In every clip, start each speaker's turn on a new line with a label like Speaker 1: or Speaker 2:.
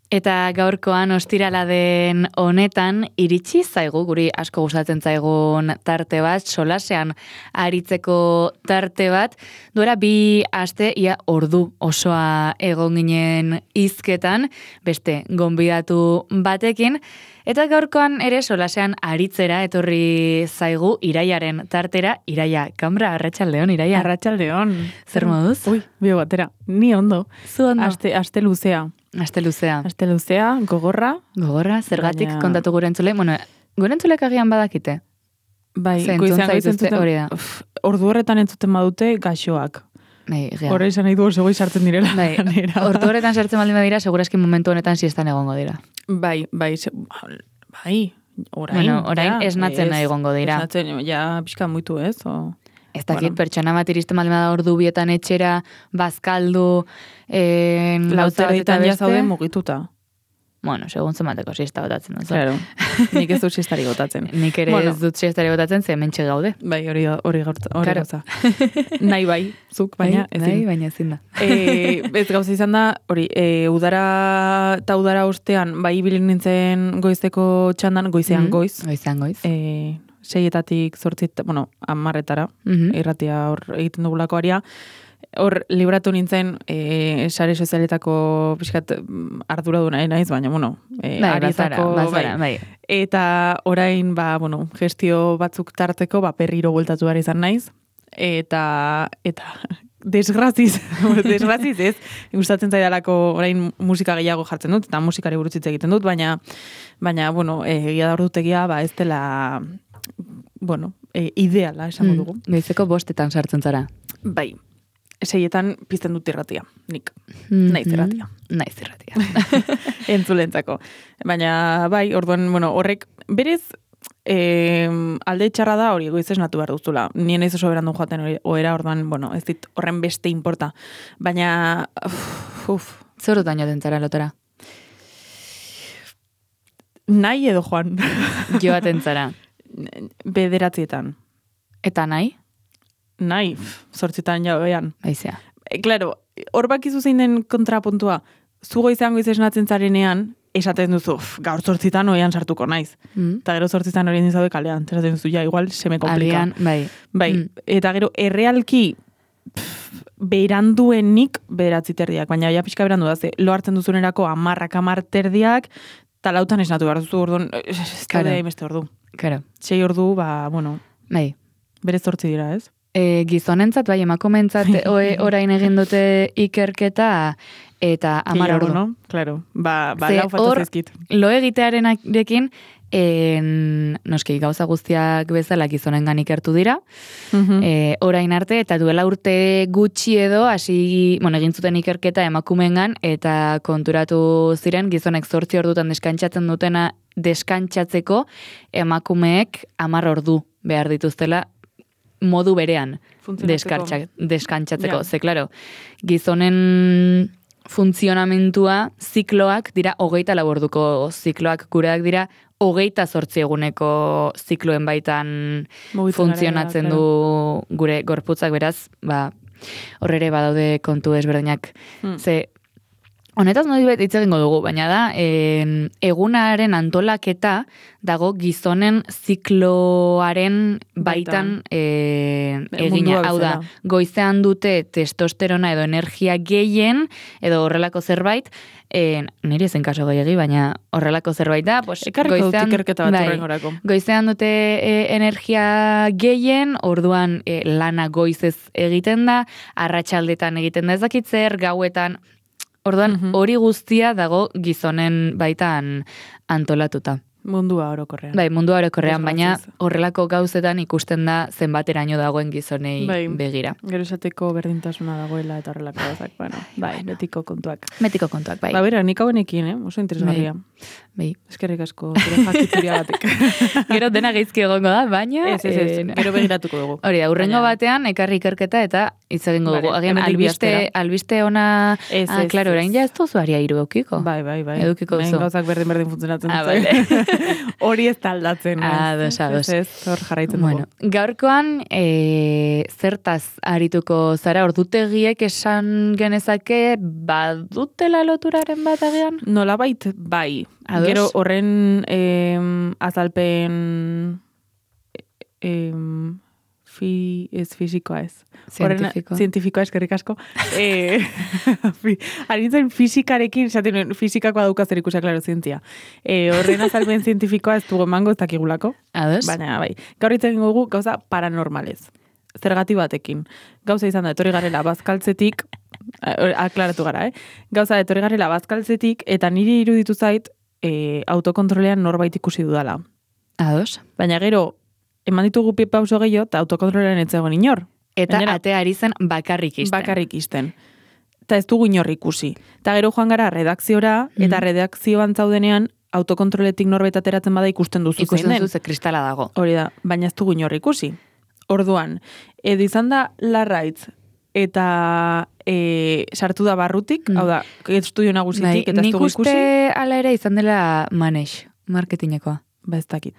Speaker 1: Eta gaurkoan ostirala den honetan iritsi zaigu, guri asko gustatzen zaigun tarte bat, solasean aritzeko tarte bat, duela 2 aste ia ordu osoa egon ginen hizketan, beste gonbidatu batekin, eta gaurkoan ere solasean aritzera etorri zaigu Iraiaren tartera. Iraia, kamra, arratsaldeon, Iraia.
Speaker 2: Arratsaldeon.
Speaker 1: Zer moduz?
Speaker 2: Ui, bio batera. Ni ondo.
Speaker 1: Zu ondo?
Speaker 2: Aste luzea.
Speaker 1: Aste luzea.
Speaker 2: Aste luzea, gogorra.
Speaker 1: Gogorra, zergatik
Speaker 2: Baina...
Speaker 1: kontatu gure entzule? Bueno, gure entzulek agian badakite.
Speaker 2: Bai,
Speaker 1: goizean hori da.
Speaker 2: Ordu horretan entzuten badute gaixoak.
Speaker 1: Bai,
Speaker 2: horre izan nahi du oso goi sartzen direla.
Speaker 1: Bai, ordu horretan sartzen baldin badira, segurazki momentu honetan siestan egongo dira.
Speaker 2: Bai, orain.
Speaker 1: Bueno, orain esnatzen nahi egongo dira.
Speaker 2: Esnatzen, ja, pixka muitu ez, o...
Speaker 1: Ez dakit, pertsona bat iristen baldin bada ordu bietan etxera, bazkaldu,
Speaker 2: lauterditan ja zaude mugituta.
Speaker 1: Bueno, segun zemateko siesta botatzen dut.
Speaker 2: Claro, nik ez dut siestari botatzen.
Speaker 1: Nik ere ez dut siestari botatzen, ze hementxe gaude.
Speaker 2: Bai, hori gauza. Nahi bai, zuk, baina ezin.
Speaker 1: Nahi, baina ezin da.
Speaker 2: Ez gauza izan da, hori, udara eta udara ostean, bai bilin nintzen goizeko txandan, goizean goiz.
Speaker 1: Goizean goiz.
Speaker 2: 6-etatik 8, bueno, 10-etara, irratia hor egiten dugulako aria. Hor, libratu nintzen, sare sozialetako pixkat arduraduna naiz, baina, bueno, arietako,
Speaker 1: bai.
Speaker 2: Eta orain, gestio batzuk tarteko, perriro bueltatu behar izan naiz, eta desgraziz ez, gustatzen zaidalako orain musika gehiago jartzen dut, eta musikari buruz hitz egiten dut, baina, bueno, egia da ordutegia, ez dela, bueno, ideala, esango dugu.
Speaker 1: Goizeko 5 sartzen zara.
Speaker 2: Bai. 6etan pizten dut irratia, nik. Naiz irratia. Entzulentzako. Baina, bai, orduan, bueno, horrek, berez, alde txarra da hori goiz esnatu behar duzula. Nien ez oso berandu joaten oera, orduan, bueno, ez dit horren beste importa. Baina,
Speaker 1: Zorotan joaten zara lotera?
Speaker 2: Nahi edo joan.
Speaker 1: Joaten zara?
Speaker 2: 9.
Speaker 1: Eta nahi?
Speaker 2: Nahi, 8 jabean.
Speaker 1: Aizea.
Speaker 2: Claro, hor bakizu zein den kontrapuntua, zu goizean goiz esnatzen zarenean, esaten duzu, gaur 8 oian sartuko naiz. Eta gero 8 hori nizaude kalean, esaten duzu, ja, igual se me komplika.
Speaker 1: Alian,
Speaker 2: bai. Eta gero, errealki, beranduenik 9:30, baina ja pixka berandu da, lo hartzen duzunerako 10:10, talautan esnatu behar duzu, orduan, ez da hainbeste ordu.
Speaker 1: Claro.
Speaker 2: 6 ordu, bueno,
Speaker 1: bai.
Speaker 2: Berez 8 dira, ez?
Speaker 1: Gizonentzat, bai, emakumentzat orain egin dute ikerketa eta 10 ordu.
Speaker 2: No? Claro, lau falta zaizkit.
Speaker 1: Lo egitearenarekin, noski gauza guztiak bezala gizonengan ikertu dira, orain arte, eta duela urte gutxi edo, egin zuten ikerketa emakumengan, eta konturatu ziren gizonek 8 ordutan deskantsatzeko emakumeek 10 ordu behar dituztela modu berean deskantsatzeko. Ze, klaro, gizonen funtzionamentua zikloak dira 24 orduko zikloak, gureak dira 28 eguneko zikloen baitan funtzionatzen du gure gorputzak, beraz, horrere badaude kontu ezberdinak. Ze, honetaz modibet hitz egingo dugu, baina da, egunaren antolaketa dago gizonen zikloaren baitan egina. Hau da, goizean dute testosterona edo energia gehien, edo horrelako zerbait, niri ezen kaso gehiagi, baina horrelako zerbait da, goizean dute energia gehien, orduan lana goizez egiten da, arratsaldetan egiten da ezakitzer, gauetan. Orduan, hori guztia dago gizonen baitan antolatuta.
Speaker 2: Mundua orokorrean.
Speaker 1: Bai, mundua orokorrean, baina horrelako gauzetan ikusten da zenbateraino dagoen gizonei begira.
Speaker 2: Gero esateko berdintasuna dagoela eta horrelako gauzak, bai, betiko kontuak.
Speaker 1: Betiko kontuak, bai.
Speaker 2: Bera, nik hauenekin, oso interesgarria.
Speaker 1: Bai.
Speaker 2: Eskerrik asko, zure jakituria batek.
Speaker 1: Gero dena gaizki egongo da, baina...
Speaker 2: Ez, gero begiratuko dugu.
Speaker 1: Hori da, urrengo batean, ekarri ikerketa eta hitz egingo dugu.
Speaker 2: Vale,
Speaker 1: Agian
Speaker 2: hemendik bi astera.
Speaker 1: albiste ona...
Speaker 2: Ez,
Speaker 1: claro, orain ja ez duzu aria 3 edukiko.
Speaker 2: Bai.
Speaker 1: Edukiko
Speaker 2: Hemen
Speaker 1: duzu.
Speaker 2: gauzak berdin funtzionatzen
Speaker 1: Vale.
Speaker 2: Hori ez taldatzen.
Speaker 1: Ados.
Speaker 2: Ez, hor jarraitzen
Speaker 1: Bueno,
Speaker 2: dugu.
Speaker 1: gaurkoan zertaz arituko zara, ordutegiek esan genezake badutela loturaren bat agian?
Speaker 2: Nolabait, bai.
Speaker 1: Ados?
Speaker 2: Gero horren azalpen ez fisikoa ez.
Speaker 1: Zientifikoa.
Speaker 2: Zientifikoa eskerrik asko. Harintzen fisikarekin, esaten fisikakoa dauka zer ikusia, klaro, zientzia. Horren azalpen zientifikoa ez dugu emango, ez dakigulako.
Speaker 1: Ados?
Speaker 2: Baina, bai. Gaur itzen dugu gauza paranormalez. Zergati batekin. Gauza izan da, etorri garela bazkaltzetik, aklaratu gara, Gauza, etorri garela bazkaltzetik, eta niri iruditu zait, autokontrolean norbait ikusi dudala.
Speaker 1: Ados?
Speaker 2: Baina gero, eman ditugu pauso gehiago, eta autokontrolean ez zegoen inor.
Speaker 1: Eta
Speaker 2: Gainera,
Speaker 1: atea ari zen bakarrik izten.
Speaker 2: Bakarrik izten. Eta ez dugu inor ikusi. Eta gero joan gara redakziora, eta redakzioan zaudenean, autokontroletik norbait ateratzen bada ikusten duzu zein
Speaker 1: Ikusten
Speaker 2: den.
Speaker 1: duzu ze kristala dago.
Speaker 2: Hori da, baina ez dugu inor ikusi. Orduan, edo izan da Larraitz, eta sartu da barrutik, hau da, estudio nagusitik, eta ez
Speaker 1: nik
Speaker 2: dugu
Speaker 1: uste
Speaker 2: ikusi.
Speaker 1: ala ere izan dela maneix, marketingekoa.
Speaker 2: Ba ez dakit.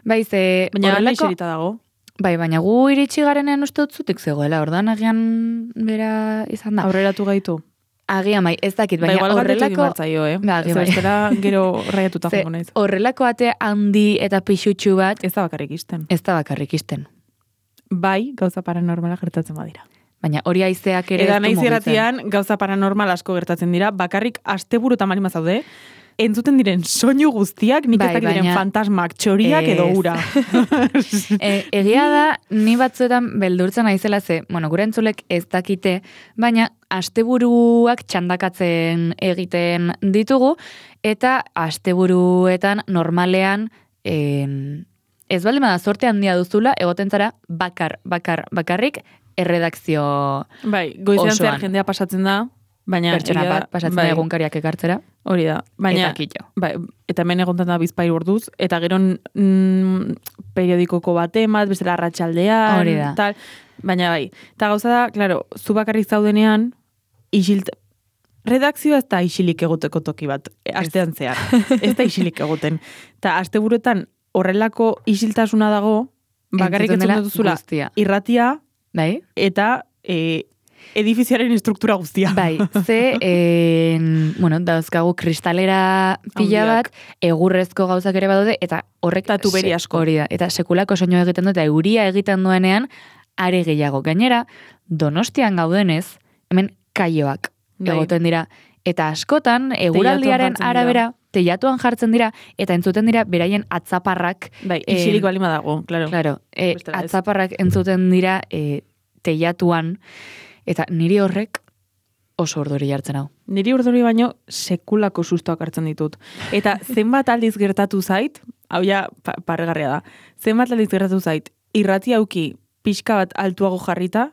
Speaker 1: Bai, ze
Speaker 2: Baina
Speaker 1: horrelako...
Speaker 2: iserita dago.
Speaker 1: Bai, baina gu iritsi garenean uste dut zutik zegoela, ordan agian bera izan da.
Speaker 2: Aurreratu gaitu.
Speaker 1: Agian bai, ez dakit, baina
Speaker 2: igual galdetu egin
Speaker 1: horrelako...
Speaker 2: bartzaio,
Speaker 1: Ba,
Speaker 2: Ez
Speaker 1: bai.
Speaker 2: bestela gero raiatuta
Speaker 1: Ze,
Speaker 2: jongo naiz.
Speaker 1: horrelako ate handi eta pixutxu bat,
Speaker 2: Ez da bakarrik izten.
Speaker 1: ez da bakarrik izten.
Speaker 2: Bai, gauza paranormala gertatzen badira.
Speaker 1: Baina hori haizeak ere
Speaker 2: Eta
Speaker 1: ez du
Speaker 2: naiz
Speaker 1: mugitzen.
Speaker 2: irratian gauza paranormal asko gertatzen dira, bakarrik asteburu eta marima zaude, entzuten diren soinu guztiak, nik
Speaker 1: Bai,
Speaker 2: ez dakit diren
Speaker 1: baina-
Speaker 2: fantasmak, txoriak edo
Speaker 1: Ez.
Speaker 2: ura.
Speaker 1: Egia da, ni batzuetan beldurtzen naizela ze, bueno, gure entzulek ez dakite, baina asteburuak txandakatzen egiten ditugu, eta asteburuetan normalean ez baldin bada zorte handia duzula, egoten zara bakarrik erredakzio
Speaker 2: Bai, goizean
Speaker 1: Osoan.
Speaker 2: zehar jendea pasatzen da, baina
Speaker 1: pertsona
Speaker 2: egia da,
Speaker 1: bat pasatzen
Speaker 2: bai,
Speaker 1: da egunkariak ekartzera,
Speaker 2: hori da. Baina,
Speaker 1: eta kito.
Speaker 2: bai, eta hemen egontan da bizpairu orduz, eta gero periodikoko baten bat, bestela arratsaldean,
Speaker 1: Hori da.
Speaker 2: tal, baina bai. Eta gauza da, claro, zu bakarrik zaudenean, redakzioa ez da isilik egoteko toki bat, astean zehar. Ez da isilik egoten. Eta asteburuetan horrelako isiltasuna dago, bakarrik
Speaker 1: Entzuten dela
Speaker 2: entzuten duzula
Speaker 1: guztia.
Speaker 2: irratia
Speaker 1: Bai?
Speaker 2: eta edifiziaren estruktura guztia.
Speaker 1: Bai, ze, bueno, dauzkagu kristalera pila
Speaker 2: Handiak.
Speaker 1: bat, egurrezko gauzak ere badaude, eta horrek...
Speaker 2: Eta tuberi asko.
Speaker 1: Hori da, eta sekulako soinu egiten du, eta euria egiten duenean, are gehiago. Gainera, Donostian gaudenez, hemen kaioak
Speaker 2: Bai.
Speaker 1: egoten dira. Eta askotan, eguraldiaren
Speaker 2: jartzen dira.
Speaker 1: arabera, teilatuan jartzen dira, eta entzuten dira beraien atzaparrak.
Speaker 2: Bai, isilik balima dago, claro.
Speaker 1: Claro,
Speaker 2: Bestela ez.
Speaker 1: atzaparrak entzuten dira teilatuan, eta niri horrek oso orduri jartzen hau.
Speaker 2: Niri urduri baino sekulako sustoak hartzen ditut. Eta zenbat aldiz gertatu zait, hau ja parregarria da, zenbat aldiz gertatu zait, irrati auki pixka bat altuago jarrita,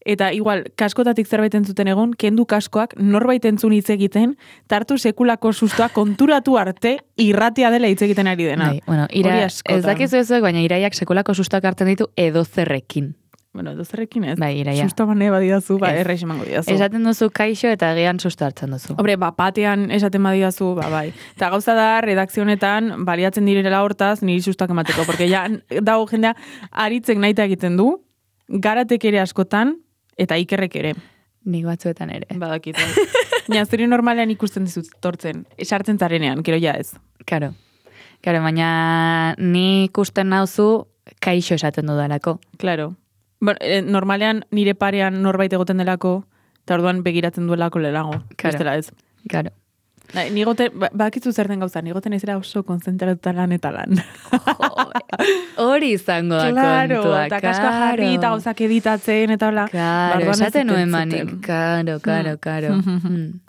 Speaker 2: eta igual, kaskotatik zerbait entzuten egon, kendu kaskoak norbait entzun hitz egiten, tartu sekulako sustoa konturatu arte irratia dela hitz egiten ari dena.
Speaker 1: Bai, bueno,
Speaker 2: Hori askotan.
Speaker 1: ez dakizu ezuek, baina iraiak sekulako sustoak hartzen ditu edo zerrekin.
Speaker 2: Bueno, dozerrekin ez.
Speaker 1: Bai, iraia.
Speaker 2: Susto mane badidazu, ba,
Speaker 1: Ez.
Speaker 2: erraiz emango didazu.
Speaker 1: Esaten duzu kaixo eta agian susto hartzen duzu.
Speaker 2: Hombre, batean esaten badidazu, bai. Eta gauza da, redakzionetan, baliatzen direla hortaz, niri sustoak emateko. Porque ja, dago jendea, aritzek naita egiten du, garatek ere askotan, eta ikerrek ere.
Speaker 1: Nik batzuetan ere.
Speaker 2: Badakit. Ja, zuri normalean ikusten dizut tortzen. Esartzen zarenean, gero ja ez.
Speaker 1: Karo, baina ni ikusten nauzu kaixo esaten dudalako.
Speaker 2: Claro. Bueno, normalean nire parean norbait egoten delako, eta orduan begiratzen duelako lelago.
Speaker 1: Claro.
Speaker 2: Bestela ez.
Speaker 1: Karo.
Speaker 2: Nigoten, bakitzu zer den gauza, nigoten ezera oso konzentratuta lan eta lan.
Speaker 1: Hori izango da
Speaker 2: Claro,
Speaker 1: kontua.
Speaker 2: eta kaskoa jarri eta gauzak editatzen eta hola.
Speaker 1: Karo,
Speaker 2: Barruan ez
Speaker 1: esaten nuen
Speaker 2: entzuten.
Speaker 1: manik. Karo.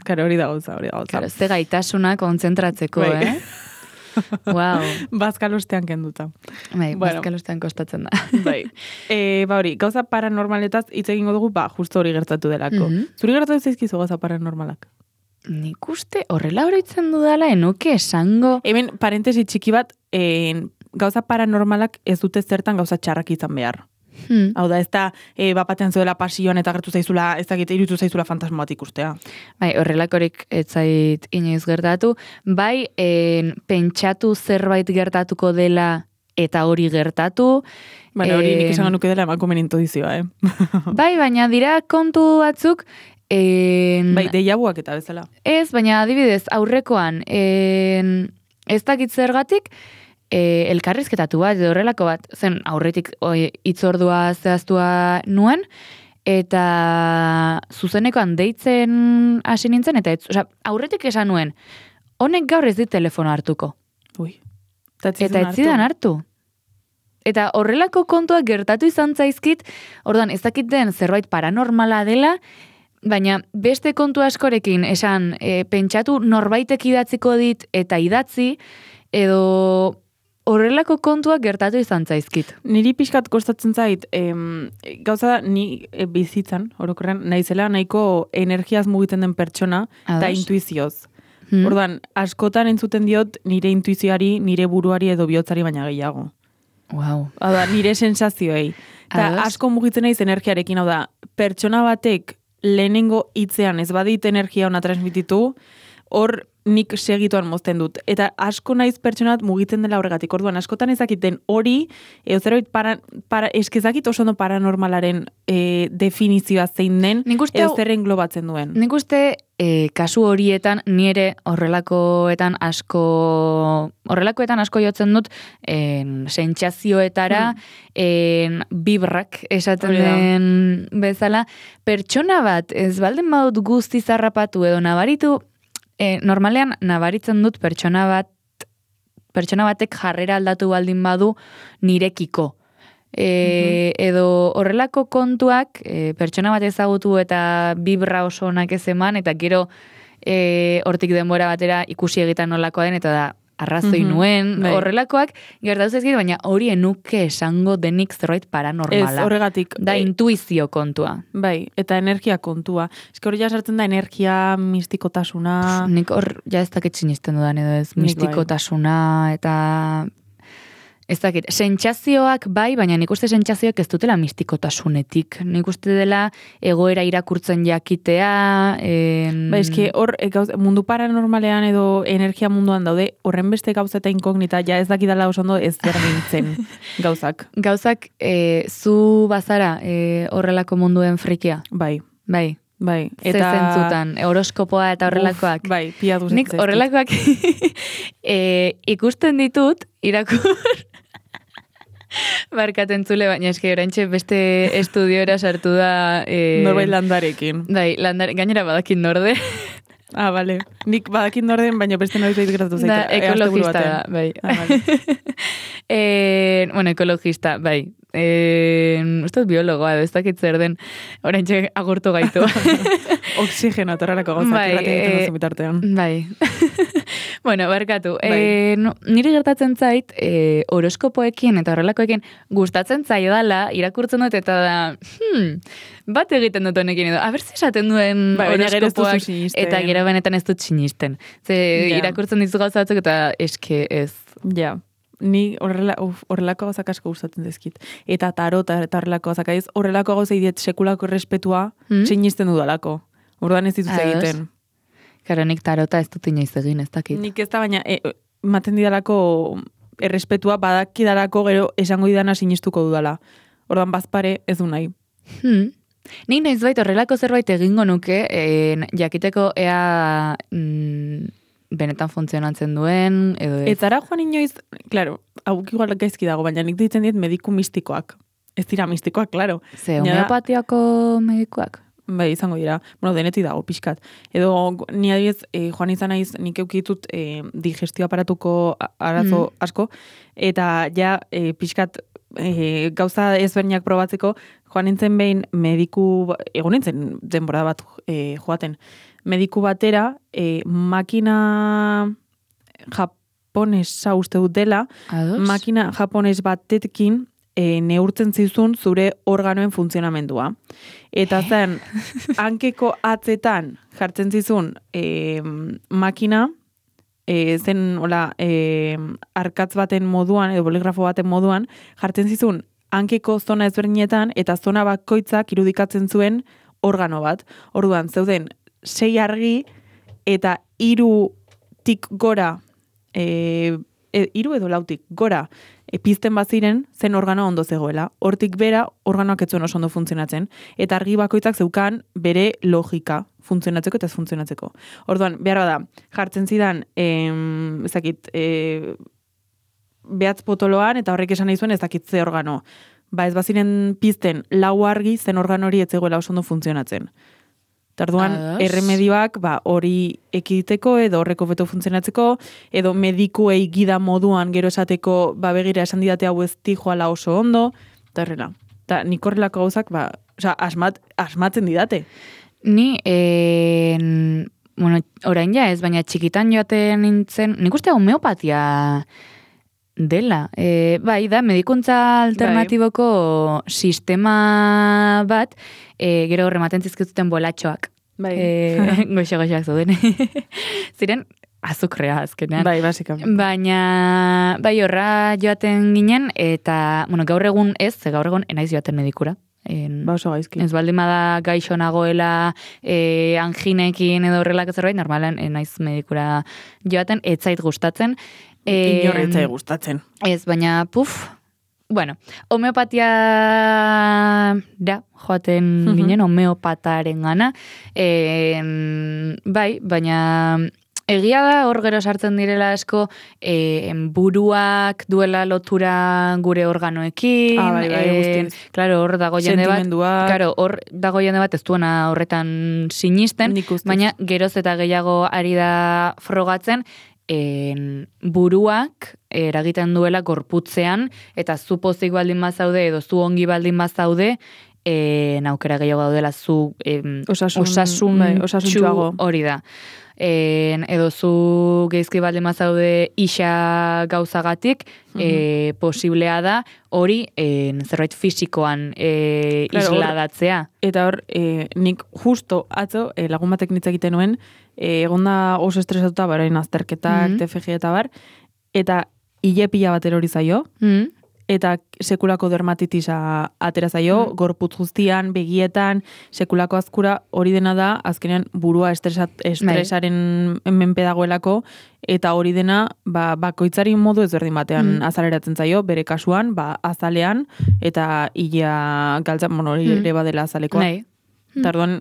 Speaker 2: Karo, hori da gauza.
Speaker 1: Karo, ze gaitasuna kontzentratzeko,
Speaker 2: Bai.
Speaker 1: Wow.
Speaker 2: Bazkalostean kenduta.
Speaker 1: Bai,
Speaker 2: Bueno.
Speaker 1: bazkalostean kostatzen da.
Speaker 2: Bai. Hori, gauza paranormaletaz hitz egingo dugu, justo hori gertatu delako.
Speaker 1: Mhm.
Speaker 2: Zuri gertatu zaizkizu gauza paranormalak?
Speaker 1: Nik uste horrela oroitzen dudala, enuke esango...
Speaker 2: Hemen, parentesi txiki bat, gauza paranormalak ez dute zertan gauza txarrak izan behar. Hau da, ez da, bapatean zuela pasioan eta gertu zaizula, ez dakit, irutu zaizula fantasma bat ikustea.
Speaker 1: Bai, horrelakorik ez zait inoiz gertatu. Bai, pentsatu zerbait gertatuko dela eta hori gertatu.
Speaker 2: Baina hori nik esan nuke dela emakumen intudizioa,
Speaker 1: Bai, baina dira kontu batzuk...
Speaker 2: Bai, deiabuak eta bezala.
Speaker 1: Ez, baina adibidez, aurrekoan, ez dakit zergatik, elkarrizketatu bat, edo horrelako bat, zen aurretik itzordua zehaztua nuen, eta zuzenekoan deitzen hasi nintzen, eta aurretik esan nuen, honek gaur ez dit telefono hartuko.
Speaker 2: Ui.
Speaker 1: Eta ez zidan hartu. Eta horrelako kontuak gertatu izan zaizkit, orduan ez dakit den zerbait paranormala dela, baina beste kontu askorekin esan pentsatu norbaitek idatziko dit eta idatzi, edo horrelako kontuak gertatu izan zaizkit.
Speaker 2: Niri pixkat kostatzen zait, gauza da, ni bizitzan, orokorrean, naizela nahiko energiaz mugitzen den pertsona, eta intuizioz. Orduan, askotan entzuten diot nire intuizioari, nire buruari edo bihotzari baina gehiago.
Speaker 1: Wow.
Speaker 2: Hau da, nire sensazioei. Eta asko mugitzen naiz energiarekin, hau da, pertsona batek lehenengo hitzean ez badit energia ona transmititu, hor nik segituan mozten dut. Eta asko naiz pertsonat mugitzen dela horregatik. Orduan, askotan ezakiten hori, zerbait eskezakit oso ondo paranormalaren definizioa zein den, zer englobatzen duen.
Speaker 1: Nik uste kasu horietan nire horrelakoetan asko jotzen dut sentsazioetara, bibrak esaten den bezala. Pertsona bat, ez baldin badut guzti zarrapatu edo nabaritu, normalean nabaritzen dut pertsona batek jarrera aldatu baldin badu nirekiko. Edo horrelako kontuak pertsona bat ezagutu eta bibra oso onak ez eman, eta gero hortik denbora batera ikusi egiten nolakoa den, eta da arrazoi nuen, horrelakoak gertatu zaizkit, baina hori enuke esango denik zerbait paranormala.
Speaker 2: Ez, horregatik.
Speaker 1: Da intuizio kontua.
Speaker 2: Bai, eta energia kontua. Ez hori ja sartzen da energia, mistikotasuna.
Speaker 1: Nik hor ja ez dakit sinisten dudan edo ez, mistikotasuna, eta... Ez dakit, sentsazioak bai, baina nik uste sentsazioak ez dutela mistikotasunetik. Nik uste dela egoera irakurtzen jakitea.
Speaker 2: Ba, eski hor mundu paranormalean edo energia munduan daude, horren beste gauza eta inkognita, ja ez dakidala oso ondo ez zer gintzen gauzak.
Speaker 1: Gauzak, zu bazara horrelako munduen frikia?
Speaker 2: Bai.
Speaker 1: Bai.
Speaker 2: Bai,
Speaker 1: eta zentzutan, horoskopoa eta horrelakoak.
Speaker 2: Bai, piatu
Speaker 1: nik horrelakoak ikusten ditut, irakur, barkaten zule, baina eski oraintxe beste estudiora sartu da...
Speaker 2: Norbait landarekin.
Speaker 1: Bai, gainera badakin norde.
Speaker 2: Ah, bale. Nik badakin norden, baina beste norbait gertatu zaite.
Speaker 1: Da, ekologista da, bai.
Speaker 2: Ah, vale.
Speaker 1: Bueno, ekologista, bai. Uste biologoa, ez dakit zer den, oraintxe agurtu gaitu.
Speaker 2: Oxigeno, torrelako gauzak irratik egiten bitartean.
Speaker 1: Bai. Bueno, barkatu. Niri gertatzen zait, horoskopoekin eta horrelakoekin gustatzen zaidala, irakurtzen dut eta da, bat egiten dut honekin edo, abertze esaten duen horoskopoak, eta gero benetan ez dut sinisten. Irakurtzen dizu gauza batzuk eta eske ez.
Speaker 2: Ja. Ni horrelako gauzak asko gustatzen dizkit. Eta tarota eta horrelako gauzak aiz, horrelako gauza idiet sekulako errespetua sinisten dudalako. Orduan ez dituz egiten.
Speaker 1: Karo, nik tarota ez dut inoiz egin, ez dakit.
Speaker 2: Nik ez da, baina maten didalako errespetua badakidalako gero esango didana sinistuko dudala. Orduan bazpare ez du nahi.
Speaker 1: Nik nahiz bait horrelako zerbait egingo nuke, jakiteko ea... benetan funtzionatzen duen, edo ez.
Speaker 2: Etzara joan inoiz, klaro, hau igual gaizki dago, baina nik ditzen diet mediku mistikoak. Ez dira mistikoak, klaro.
Speaker 1: Ze, homeopatiako medikoak?
Speaker 2: Bai, izango dira. Bueno, denetik dago, pixkat. Edo, ni adibidez, joan izan naiz, nik eukitut digestio aparatuko arazo asko, eta ja, pixkat, gauza ezberdinak probatzeko, joan nintzen behin mediku, egon nintzen denbora bat joaten, mediku batera, makina japonesa uste dut dela, makina japones batekin neurtzen zizun zure organoen funtzionamendua. Eta zen, hankeko atzetan jartzen zizun makina, zen hola, arkatz baten moduan, edo boligrafo baten moduan, jartzen zizun hankeko zona ezberdinetan, eta zona bakoitzak irudikatzen zuen organo bat. Orduan, zeuden 6 argi, eta 3tik gora, 3 edo 4tik gora, pizten baziren, zen organoa ondo zegoela. Hortik bera, organoak ez zuen oso ondo funtzionatzen. Eta argi bakoitzak zeukan bere logika funtzionatzeko eta ez funtzionatzeko. Orduan, behar da, jartzen zidan, behatz potoloan, eta horrek esan nahi zuen ez dakit ze organo. Ba ez baziren pizten 4 argi, zen organo hori ez zegoela oso ondo funtzionatzen. Tarduan, erremedioak hori ekiditeko edo horreko beto funtzionatzeko, edo medikuei gida moduan gero esateko begira esan didate hau ez joala oso ondo, eta horrela. Eta nik horrelako gauzak, asmatzen didate.
Speaker 1: Ni, orain ja ez, baina txikitan joaten nintzen, nik uste homeopatia dela. Bai, da, medikuntza alternatiboko sistema bat, gero rematen zizkizuten bolatxoak.
Speaker 2: Bai.
Speaker 1: Goxe-goxeak zuden. Ziren, azukrea azkenean.
Speaker 2: Bai, basikamente.
Speaker 1: Baina, bai, horra joaten ginen, eta, gaur egun ez, gaur egun enaiz joaten medikura.
Speaker 2: Oso gaizki.
Speaker 1: Ez baldin bada gaixo nagoela anginekin edo horrelak zerbait, normalan enaiz medikura joaten, ez zait gustatzen.
Speaker 2: Inorretzai gustatzen.
Speaker 1: Ez, baina, homeopatia da, joaten ginen, homeopataren gana. Bai, baina egia da hor gero sartzen direla asko buruak duela lotura gure organoekin.
Speaker 2: Guztien.
Speaker 1: Claro, hor dago jende bat. Claro, hor dago jende bat ez duena horretan sinisten, baina geroz eta gehiago ari da frogatzen, buruak eragiten duela gorputzean, eta zu pozik baldin bazaude, edo zu ongi baldin bazaude, aukera gehiago daudela zu osasuntxu hori da. Edo zu geizki baldin bazaude isa gauzagatik, posiblea da hori zerbait fisikoan isladatzea.
Speaker 2: Eta hor, nik justo atzo lagun batek nitz egiten nuen, egonda oso estresatuta barain azterketak, TFG eta bar, eta hile pila bat erori zaio, eta sekulako dermatitisa atera zaio, gorputz guztian, begietan, sekulako azkura, hori dena da, azkenean burua estresaren menpe dagoelako, eta hori dena, bakoitzari modu ezberdin batean azaleratzen zaio, bere kasuan, azalean, eta hilea galtzan, hori ere badela azalekoa. Tarduan,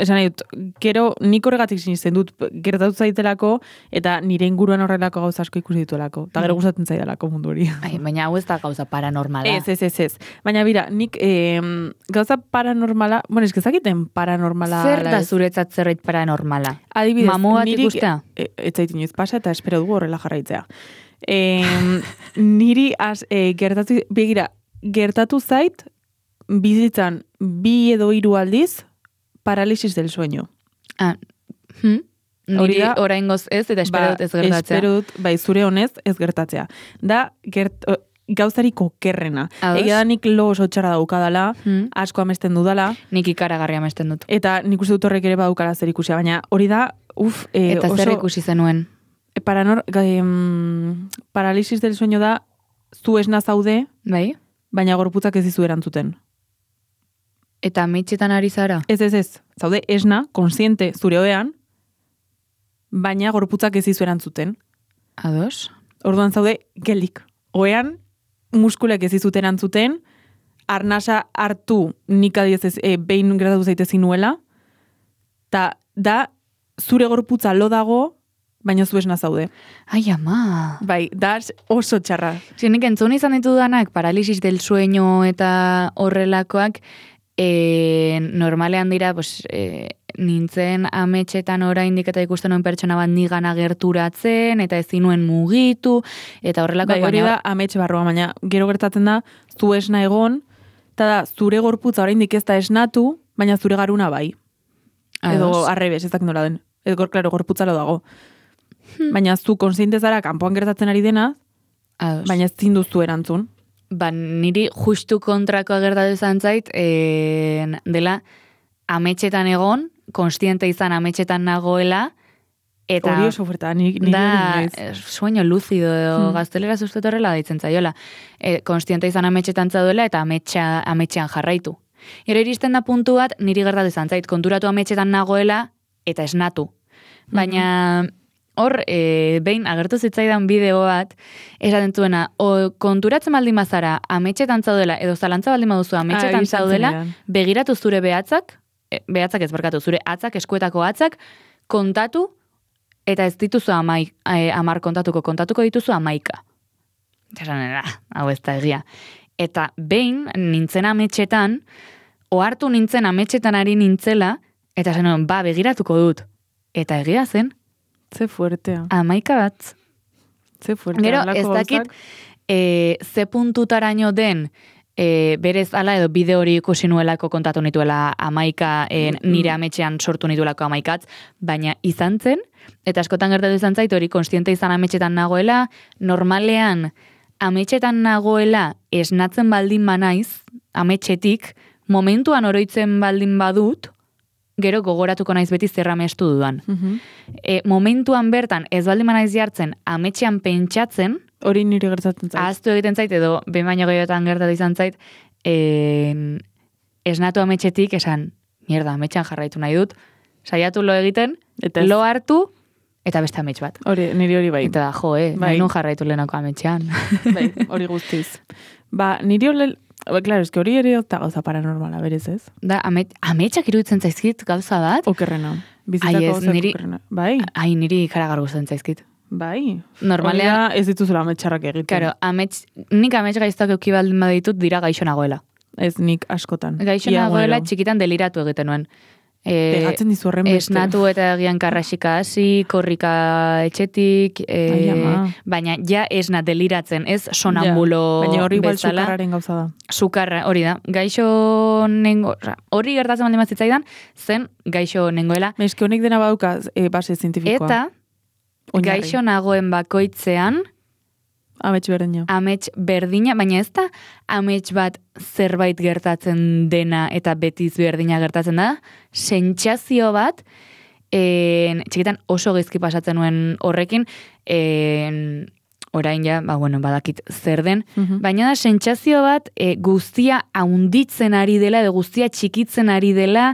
Speaker 2: esan nahi dut, gero nik horregatik sinisten dut gertatu zaitelako eta nire inguruan horrelako gauza asko ikusi dituelako. Eta gero gustatzen zaidalako mundu hori.
Speaker 1: Baina hau ez da gauza paranormala.
Speaker 2: Ez. Baina bira, nik gauza paranormala, eskizakiten paranormala.
Speaker 1: Zer da zuretzat zerbait paranormala?
Speaker 2: Adibidez,
Speaker 1: mamu bat ikustea?
Speaker 2: Ez zait inoiz pasa eta espero dugu horrela jarraitzea. Niri gertatu zait bizitzan 2 edo 3 aldiz paralisis del sueño.
Speaker 1: Niri oraingoz ez, eta espero dut ez gertatzea.
Speaker 2: Espero dut, zure honez ez gertatzea. Da, gauzariko kerrena. Egia da nik lo oso txarra daukadala, asko amesten dudala.
Speaker 1: Nik ikaragarri amesten dut.
Speaker 2: Eta nik uste dut horrek ere badukala zer ikusia, baina hori da,
Speaker 1: eta zer ikusi zenuen?
Speaker 2: Paralisis del sueño da, zu esna zaude, baina gorputzak ez dizu erantzuten.
Speaker 1: Eta ametxetan ari zara?
Speaker 2: Ez. Zaude esna, konsiente zure oean, baina gorputzak ez dizu erantzuten.
Speaker 1: Ados?
Speaker 2: Orduan zaude gelik. Oean, muskulek ez dizut erantzuten, arnasa hartu nik adiez behin gertatu zaitezin nuela, eta da zure gorputza lo dago, baina zu esna zaude.
Speaker 1: Ai, ama!
Speaker 2: Bai, da oso txarra.
Speaker 1: Nik entzun izan ditudanak, paralisis del sueño eta horrelakoak, normalean dira, nintzen ametxetan oraindik eta ikusten nuen pertsona bat nigana gerturatzen, eta ezin nuen mugitu, eta horrelako...
Speaker 2: Bai, hori da ametxe barroa, baina gero gertatzen da, zu esna egon, eta da, zure gorputza oraindik ez da esnatu, baina zure garuna bai. Edo arrebes, ez dakit nola den. Edo, klaro, gorputza lo dago. Baina zu konsiente zara kanpoan gertatzen ari dena, baina ez zinduzu erantzun.
Speaker 1: Niri justu kontrakoa gertatu izan zait, dela ametxetan egon, konstiente izan ametxetan nagoela, Eta
Speaker 2: hori oso fuertea, niri
Speaker 1: da,
Speaker 2: inoiz.
Speaker 1: sueño lúcido edo gaztelera zuztet horrela deitzen zaiola. Konstiente izan ametxetan zaudela eta ametxean jarraitu. Gero iristen da puntu bat, niri gertatu izan zait, konturatu ametxetan nagoela eta esnatu. Baina hor, behin agertu zitzaidan bideo bat, esaten zuena, konturatzen baldin bazara ametxetan zaudela, edo zalantza baldin baduzu ametxetan zaudela, begiratu zure behatzak ez barkatu, zure atzak, eskuetako atzak, kontatu, eta ez dituzu 10 kontatuko dituzu 11. Esan, hau ez da egia. Eta behin nintzen ametxetan, ohartu nintzen ametxetan ari nintzela, eta zen, begiratuko dut. Eta egia zen.
Speaker 2: Ze fuertea.
Speaker 1: 11 bat.
Speaker 2: Ze fuertea.
Speaker 1: Gero, ez dakit, ze puntutaraino den, berez ala edo bide hori ikusi nuelako kontatu nituela 11 nire ametxean sortu nituelako 11, baina izan zen, eta askotan gertatu izan zait hori konstiente izan ametxetan nagoela, normalean ametxetan nagoela esnatzen baldin banaiz, ametxetik, momentuan oroitzen baldin badut, gero gogoratuko naiz beti zer amestu dudan. Momentuan bertan ez baldin banaiz jartzen ametxean pentsatzen,
Speaker 2: hori niri gertatzen zait.
Speaker 1: Ahaztu egiten zait, edo behin baino gehiotan gertatu izan zait, esnatu ametxetik esan, mierda, ametxean jarraitu nahi dut, saiatu lo egiten, lo hartu, eta beste amets bat.
Speaker 2: Niri hori bai.
Speaker 1: Eta da, nahi nun jarraitu lehenako ametxean.
Speaker 2: Bai, hori guztiz. Niri claro, eski hori ere eta gauza paranormala, berez ez?
Speaker 1: Da, ametxak iruditzen zaizkit gauza bat?
Speaker 2: Okerrena. Bizitako gauza okerrena. Bai?
Speaker 1: Ai, niri ikaragar gustatzen zaizkit.
Speaker 2: Bai.
Speaker 1: Normalea
Speaker 2: ez dituzula ametxarrak egiten.
Speaker 1: Claro, nik amets gaiztak euki baldin baditut dira gaixo nagoela.
Speaker 2: Ez nik askotan.
Speaker 1: Gaixo nagoela txikitan deliratu egiten nuen.
Speaker 2: Pegatzen dizu horren beste.
Speaker 1: Esnatu eta egian karrasika hasi, korrika etxetik, baina ja esna deliratzen, ez sonambulo bezala.
Speaker 2: Baina hori igual sukarraren gauza da.
Speaker 1: Sukarra, hori da. Gaixo hori gertatzen baldin bazitzaidan, zen gaixo nengoela.
Speaker 2: Eski honek dena baduka base zientifikoa.
Speaker 1: Eta gaixo nagoen bakoitzean amets berdina, baina ez da amets bat zerbait gertatzen dena eta betiz berdina gertatzen da, sentsazio bat, txikitan oso gaizki pasatzen nuen horrekin, orain ja, badakit zer den, baina da sentsazio bat guztia haunditzen ari dela, edo guztia txikitzen ari dela,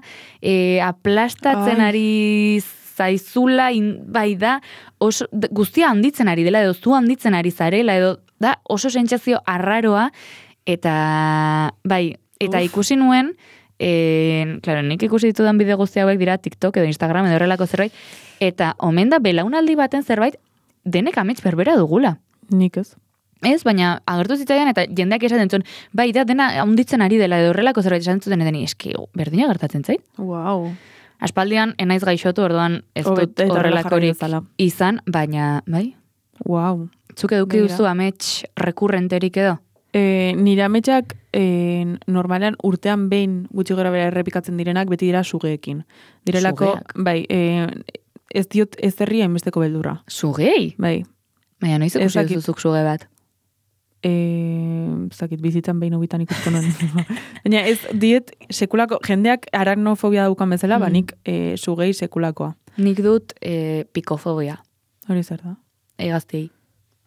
Speaker 1: aplastatzen ari zaizula, bai da, guztia handitzen ari dela, edo zu handitzen ari zarela, edo da oso sentsazio arraroa, eta bai, eta ikusi nuen, claro, nik ikusi ditudan bideo guzti hauek dira TikTok edo Instagram edo horrelako zerbait, eta omen da belaunaldi baten zerbait, denek amets berbera dugula.
Speaker 2: Nik ez.
Speaker 1: Ez, baina agertu zitzaidan eta jendeak esaten zuen, bai da dena handitzen ari dela edo horrelako zerbait esaten zuten edeni, eski, berdina gertatzen zait?
Speaker 2: Wow.
Speaker 1: Aspaldian, enaiz gaixotu, orduan ez dut horrelakorik izan, baina, bai?
Speaker 2: Wow.
Speaker 1: Zuk eduki duzu amets rekurrenterik edo?
Speaker 2: Nire ametsak normalean urtean behin gutxi gora bera errepikatzen direnak beti dira sugeekin. Direlako, bai, ez diot ez herria enbesteko beldurra.
Speaker 1: Sugei?
Speaker 2: Bai.
Speaker 1: Baina noiz ikusi duzuzuk suge bat?
Speaker 2: Zakit, bizitan behin hobitan ikusko nuen. Baina ez diet sekulako, jendeak arachnofobia daukan bezala, nik sugei sekulakoa.
Speaker 1: Nik dut pikofobia.
Speaker 2: Hori zer da?
Speaker 1: Egaztei.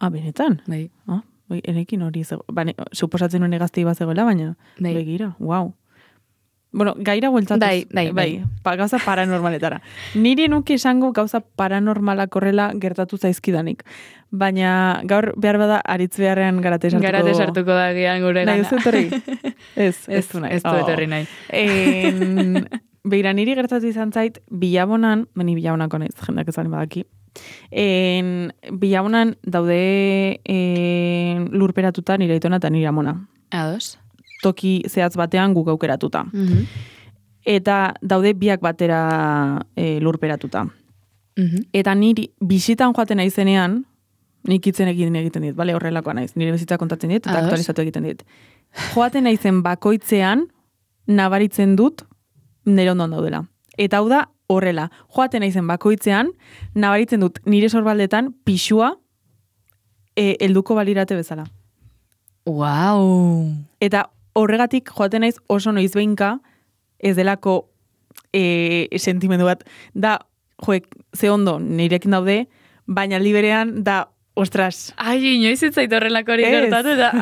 Speaker 2: Benetan?
Speaker 1: Bai.
Speaker 2: Enekin hori suposatzen nuen egaztei bat zegoela, baina begira, wow. Bueno, gaira bueltatuz. Bai. Gauza paranormaletara. Niri nuke esango gauza paranormalak horrela gertatu zaizkidanik. Baina gaur behar bada aritz beharrean garate sartuko. Garate sartuko da gian gure gana. Nahi duzu etorri? Ez du nahi. Ez du etorri nahi. Beira, niri gertatu izan zait, Bilabonan, Bilabonako naiz, jendak ez bali badaki, Bilabonan daude lurperatuta nire aitona eta nire amona.
Speaker 1: Ados.
Speaker 2: Toki zehatz batean guk aukeratuta. Eta daude biak batera lurperatuta. Eta niri bisitan joaten naizenean, nik itzen egiten dit, bale, horrelakoa naiz, nire bizitza kontatzen dit, eta aktualizatu egiten dit. Joaten naizen bakoitzean, nabaritzen dut, nire ondoan daudela. Eta hau da, horrela, joaten naizen bakoitzean, nabaritzen dut nire sorbaldetan pixua helduko balirate bezala.
Speaker 1: Wow!
Speaker 2: Eta horregatik joaten naiz oso noizbeinka ez delako sentimendu bat. Da joek, ze ondo nirekin daude, baina aldi berean da, ostras.
Speaker 1: Ai, inoiz ez zait horrelako hori gertatu da.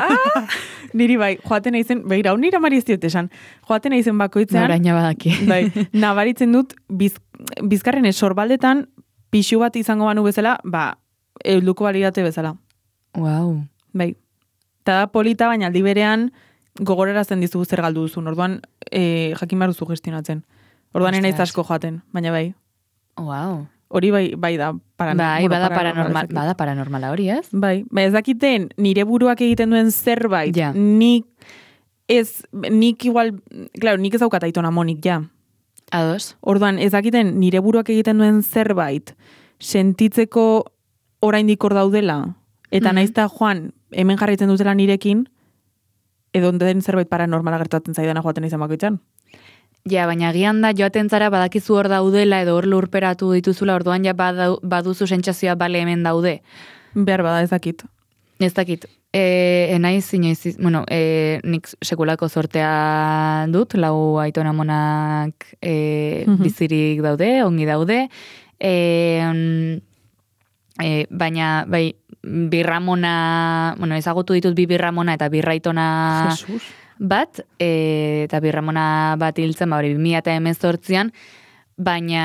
Speaker 2: Niri bai, joaten naizen, begira, nire amari ez diot esan, joaten naizen bakoitzean.
Speaker 1: Noraina badaki.
Speaker 2: Bai, nabaritzen dut, bizkarren sorbaldetan, pixu bat izango banu bezala, helduko balidate bezala.
Speaker 1: Wow.
Speaker 2: Bai. Eta da polita, baina aldi berean gogorarazten dizu zer galdu duzun. Orduan, jakin behar duzu gestionatzen. Orduan enaiz asko joaten, baina bai.
Speaker 1: Wow.
Speaker 2: Hori bai da
Speaker 1: bada paranormala hori, ez?
Speaker 2: Bai, ez dakiten nire buruak egiten duen zerbait,
Speaker 1: ja.
Speaker 2: nik igual, claro, nik ez daukat aitona monik, ja.
Speaker 1: Ados.
Speaker 2: Orduan, ez dakiten nire buruak egiten duen zerbait, sentitzeko oraindik hor daudela, eta naizta joan, hemen jarraitzen dutela nirekin, edo den zerbait paranormala gertatzen zaidana joaten izan bakoitzan.
Speaker 1: Ja, baina agian da joaten zara badakizu hor daudela edo hor lurperatu dituzula, orduan ja baduzu sentsazioa bale hemen daude.
Speaker 2: Behar bada ez dakit.
Speaker 1: Ez dakit. Enaiz, bueno, nik sekulako zortea dut, 4 aitona monak bizirik daude, ongi daude. Baina, bai, birramona, bueno, ezagutu ditut birramona eta birraitona...
Speaker 2: Jesus.
Speaker 1: Bat, eta birramona bat hiltzen, hori 2018an, baina,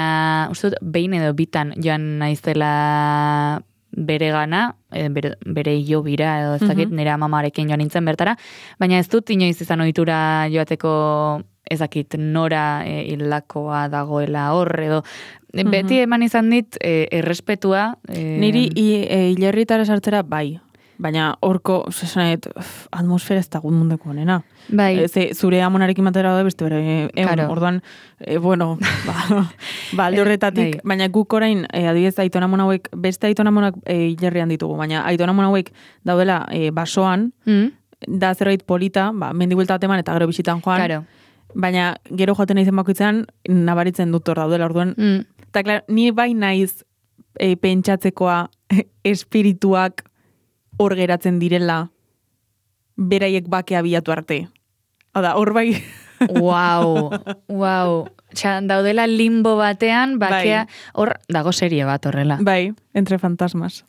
Speaker 1: uste dut, behin edo bitan joan naizela bere gana, bere hilo bira, edo ez dakit, nire amamarekin joan nintzen bertara, baina ez dut inoiz izan ohitura joateko ezakit nora hilakoa dagoela hor, edo beti eman izan dit errespetua.
Speaker 2: Niri hilerritara sartzera bai. Baina horko, zesanet, atmosfera ez dagut mundeko honena.
Speaker 1: Bai.
Speaker 2: Zure amonarekin batera da beste bere, orduan, bueno, alde horretatik, baina guk orain, adibidez, aitona mona hauek, beste aitona monak hilerrian ditugu, baina aitona mona hauek daudela basoan, da zerbait polita, mendibuelta bat eman eta gero bisitan joan,
Speaker 1: Claro.
Speaker 2: baina gero joaten naizen bakoitzean, nabaritzen dut hor daudela, orduan, eta klar, ni bai naiz pentsatzekoa espirituak hor geratzen direla beraiek bakea bilatu arte. Hada, hor bai...
Speaker 1: Wow. Daudela limbo batean, bakea... Hor, dago serie bat horrela.
Speaker 2: Bai, entre fantasmas.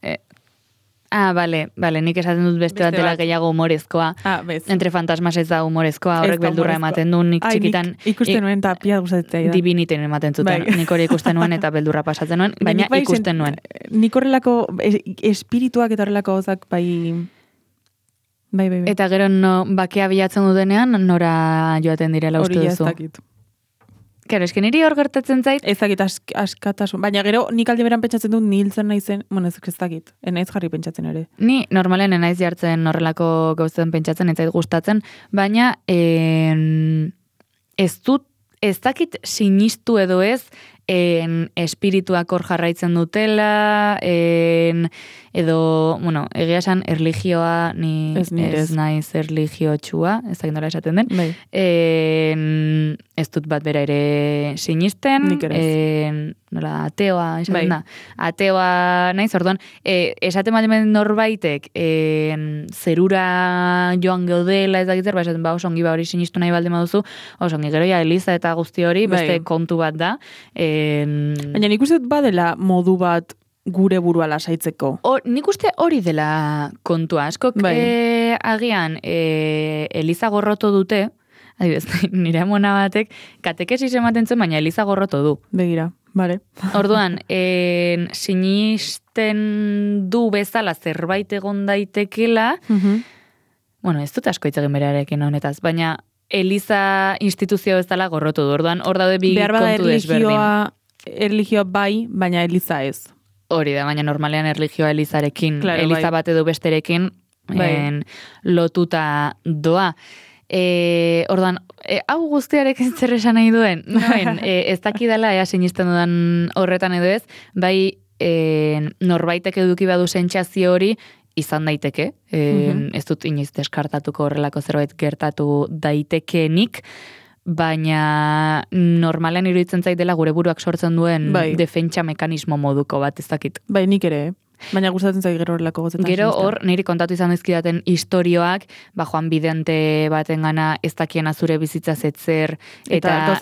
Speaker 1: Bale, nik esaten dut beste bat dela gehiago humorezkoa.
Speaker 2: Bez.
Speaker 1: Entre fantasmas ez da humorezkoa, horrek beldurra ematen du, nik txikitan...
Speaker 2: Ikusten nuen eta pia gustatzen da.
Speaker 1: Diviniten ematen zuten, nik hori ikusten nuen eta beldurra pasatzen nuen, baina ikusten nuen.
Speaker 2: Nik horrelako espirituak eta horrelako gozak bai.
Speaker 1: Eta gero bakea bilatzen dutenean, nora joaten direla uste duzu.
Speaker 2: Hori ez dakit.
Speaker 1: Kero, esken niri hor gertatzen zait?
Speaker 2: Ez dakit askatasun. Baina gero nik alde beran pentsatzen dut niltzen naizen, bueno ez dakit, enaiz jarri pentsatzen ere.
Speaker 1: Ni normalen enaiz jartzen horrelako gauzen pentsatzen, ez zait gustatzen, baina ez dakit sinistu edo ez, espirituak hor jarraitzen dutela, edo, bueno, egia esan erlijioa, ni ez naiz erlijio txua, ez dakit nola esaten den, ez dut bat bera ere sinisten, nola ateoa esaten da, ateoa naiz, orduan, esaten bat norbaitek, zerura joan geudela, ez dakit zer, esaten ba, osongi ba hori sinistu nahi balde maduzu, osongi gero ja Eliza eta guzti hori, beste kontu bat da,
Speaker 2: baina nik uste badela modu bat gure burua lasaitzeko.
Speaker 1: Nik uste hori dela kontua. Askok agian Eliza gorroto dute, adibidez, nire amona batek, katekesis ematen zuen, baina Eliza gorroto du.
Speaker 2: Begira, bale.
Speaker 1: Orduan, sinisten du bezala zerbait egon daitekela, bueno, ez dut asko hitz egin berarekin honetaz, baina Eliza instituzio bezala gorrotu du. Orduan, hor daude bi kontu desberdin.
Speaker 2: Erlijioa bai, baina Eliza ez.
Speaker 1: Hori da, baina normalean erlijioa Elizarekin, Eliza bat edo besterekin lotuta doa. Orduan, hau guztiarekin zer esan nahi duen? Ez dakidala, sinisten dudan horretan edo ez, bai norbaitek eduki badu sentsazio hori, izan daiteke, ez dut inoiz deskartatuko horrelako zerbait gertatu daitekenik, baina normalean iruditzen zait dela gure buruak sortzen duen defentsa mekanismo moduko bat, ez dakit.
Speaker 2: Bai, nik ere. Baina gustatzen zait gero horrelako gozetan.
Speaker 1: Gero hor, niri kontatu izan dizkidaten istorioak, joan bidente baten gana ez dakiena zure bizitza zetzer, eta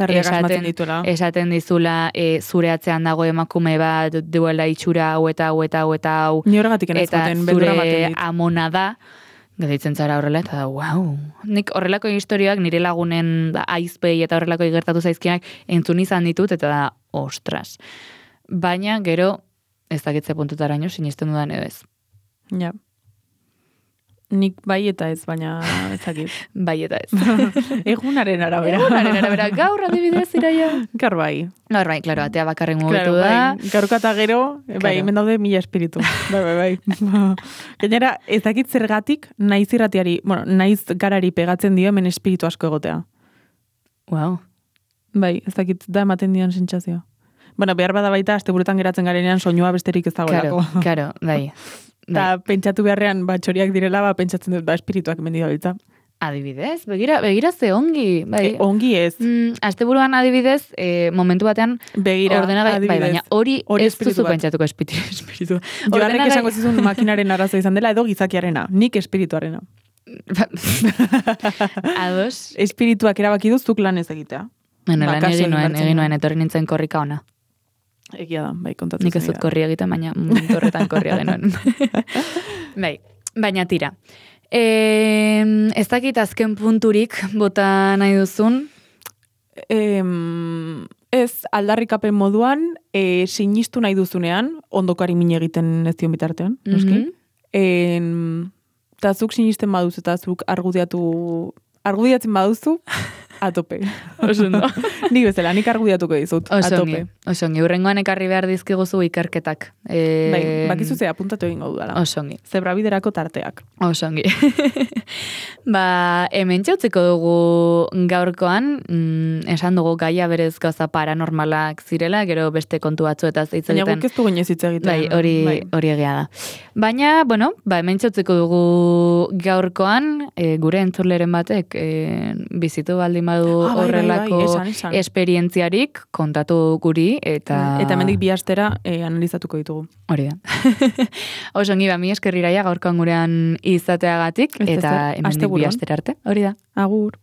Speaker 1: esaten dizula zure atzean dago emakume bat duela itxura hau eta hau,
Speaker 2: ni horregatik
Speaker 1: eta zure amona da, geditzen zara horrela, eta wow. Nik horrelako historioak nire lagunen aizpei eta horrelako gertatu zaizkiak entzun izan ditut, eta da, ostras. Baina, gero, ez dakitze puntutaraino, sinisten dudan edo ez.
Speaker 2: Ja. Nik bai eta ez, baina ez dakit.
Speaker 1: Bai eta ez.
Speaker 2: Egunaren arabera.
Speaker 1: Gaur adibidez, Iraia.
Speaker 2: Gaur bai.
Speaker 1: Gaur bai, klaro, atea bakarren mugitu da.
Speaker 2: Gaurka eta gero, bai, hemen daude 1000 espiritu. Bai. Gainera, ez dakit zergatik, naiz irratiari, naiz garari pegatzen dio hemen espiritu asko egotea.
Speaker 1: Wow.
Speaker 2: Bai, ez dakit da ematen dion sentsazioa. Behar bada baita, asteburutan geratzen garenean soinua besterik ez dagoelako.
Speaker 1: Claro, bai.
Speaker 2: Eta pentsatu beharrean, txoriak direla, pentsatzen dut, espirituak mendi dabiltza.
Speaker 1: Adibidez, begira ze ongi. Bai.
Speaker 2: Ongi ez.
Speaker 1: Asteburuan adibidez, momentu batean, ordenagai, bai, baina hori ez duzu pentsatuko espiritu.
Speaker 2: Joarrek esango zizun makinaren arazo izan dela, edo gizakiarena, nik espirituarena.
Speaker 1: Ados.
Speaker 2: Espirituak erabaki duzuk lan ez egitea.
Speaker 1: Bueno, lan egin nuen, etorri nintzen korrika ona.
Speaker 2: Egia da, bai, kontatu.
Speaker 1: Nik ez dut korri egiten, baina momentu horretan korria genuen. Bai, baina tira. Ez dakit azken punturik bota nahi duzun?
Speaker 2: Ez, aldarrikapen moduan, sinistu nahi duzunean, ondokari min egiten ez dion bitartean, noski? Eta zuk sinisten baduz eta zuk argudiatzen baduzu, atope.
Speaker 1: Osondo.
Speaker 2: Nik bezala, nik argudiatuko dizut, atope.
Speaker 1: Osongi, urrengoan ekarri behar dizkiguzu ikerketak.
Speaker 2: Bai, bakizu ze apuntatu egingo dudala.
Speaker 1: Osongi.
Speaker 2: Zebrabiderako tarteak.
Speaker 1: Osongi. Hemen txautzeko dugu gaurkoan, esan dugu gaia berez gauza paranormalak zirela, gero beste kontu batzu eta hitz egiten.
Speaker 2: Baina guk ez dugu inoiz hitz egiten.
Speaker 1: Bai, hori egia da. Baina, hemen txautzeko dugu gaurkoan, gure entzuleren batek, bizitu baldin badu horrelako esperientziarik kontatu guri eta
Speaker 2: hemendik bi astera analizatuko ditugu.
Speaker 1: Hori da. Osongi mi esker Iraia gaurkoan gurean izateagatik eta hemendik bi astera arte. Hori da.
Speaker 2: Agur.